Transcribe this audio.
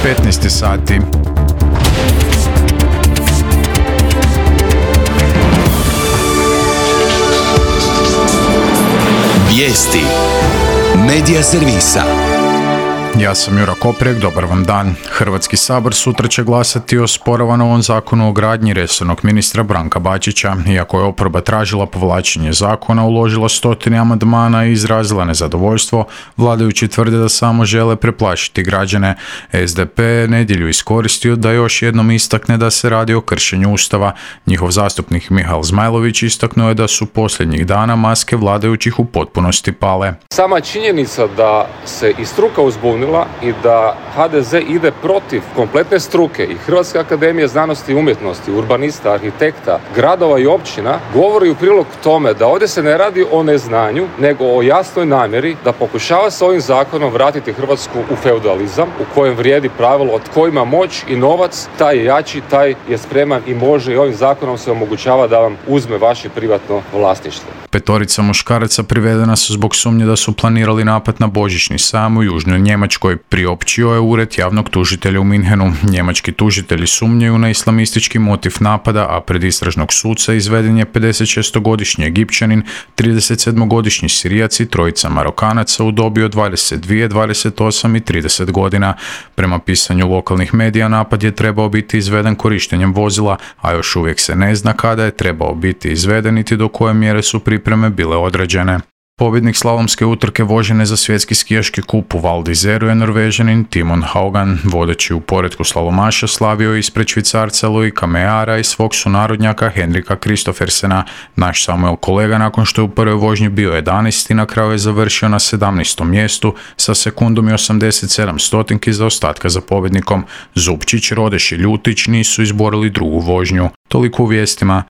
15 sati. Vijesti Medija servisa. Ja sam Jura Koprijek, dobar vam dan. Hrvatski sabor sutra će glasati o osporavanom zakonu o gradnji resornog ministra Branka Bačića. Iako je oporba tražila povlačenje zakona, uložila 100 amandmana i izrazila nezadovoljstvo, vladajući tvrde da samo žele preplašiti građane. SDP je nedjelju iskoristio da još jednom istakne da se radi o kršenju Ustava. Njihov zastupnik Mihael Zmajlović istaknuo je da su posljednjih dana maske vladajućih u potpunosti pale. Sama činjenica da se i struka uzbunila i da HDZ ide protiv kompletne struke i Hrvatske akademije znanosti i umjetnosti, urbanista, arhitekta, gradova i općina, govori u prilog tome da ovdje se ne radi o neznanju, nego o jasnoj namjeri da pokušava s ovim zakonom vratiti Hrvatsku u feudalizam, u kojem vrijedi pravilo od tko ima moć i novac, taj je jači, taj je spreman i može, i ovim zakonom se omogućava da vam uzme vaše privatno vlasništvo. 5 muškaraca privedena su zbog sumnje da su planirali napad na božićni sajam u južnoj Njemačkoj, priopćio je ured javnog tužitelja u Minhenu. Njemački tužitelji sumnjaju na islamistički motiv napada, a pred istražnog suca izveden je 56-godišnji Egipćanin, 37-godišnji Sirijac i 3 Marokanaca u dobi od 22, 28 i 30 godina. Prema pisanju lokalnih medija, napad je trebao biti izveden korištenjem vozila, a još uvijek se ne zna kada je trebao biti izveden niti do koje mjere su pripreme bile određene. Pobjednik slalomske utrke vožene za svjetski skijaški kup u Val d'Izeru je Norvežanin Timon Haugan. Vodeći u poretku slalomaša slavio je ispred Švicarca Loika Meara i svog sunarodnjaka Henrika Kristoffersena. Naš Samuel kolega nakon što je u prvoj vožnji bio 11. na kraju je završio na 17. mjestu sa sekundom i 87 stotinki zaostatka za pobjednikom. Zupčić, Rodeš i Ljutić nisu izborili drugu vožnju. Toliko u vijestima.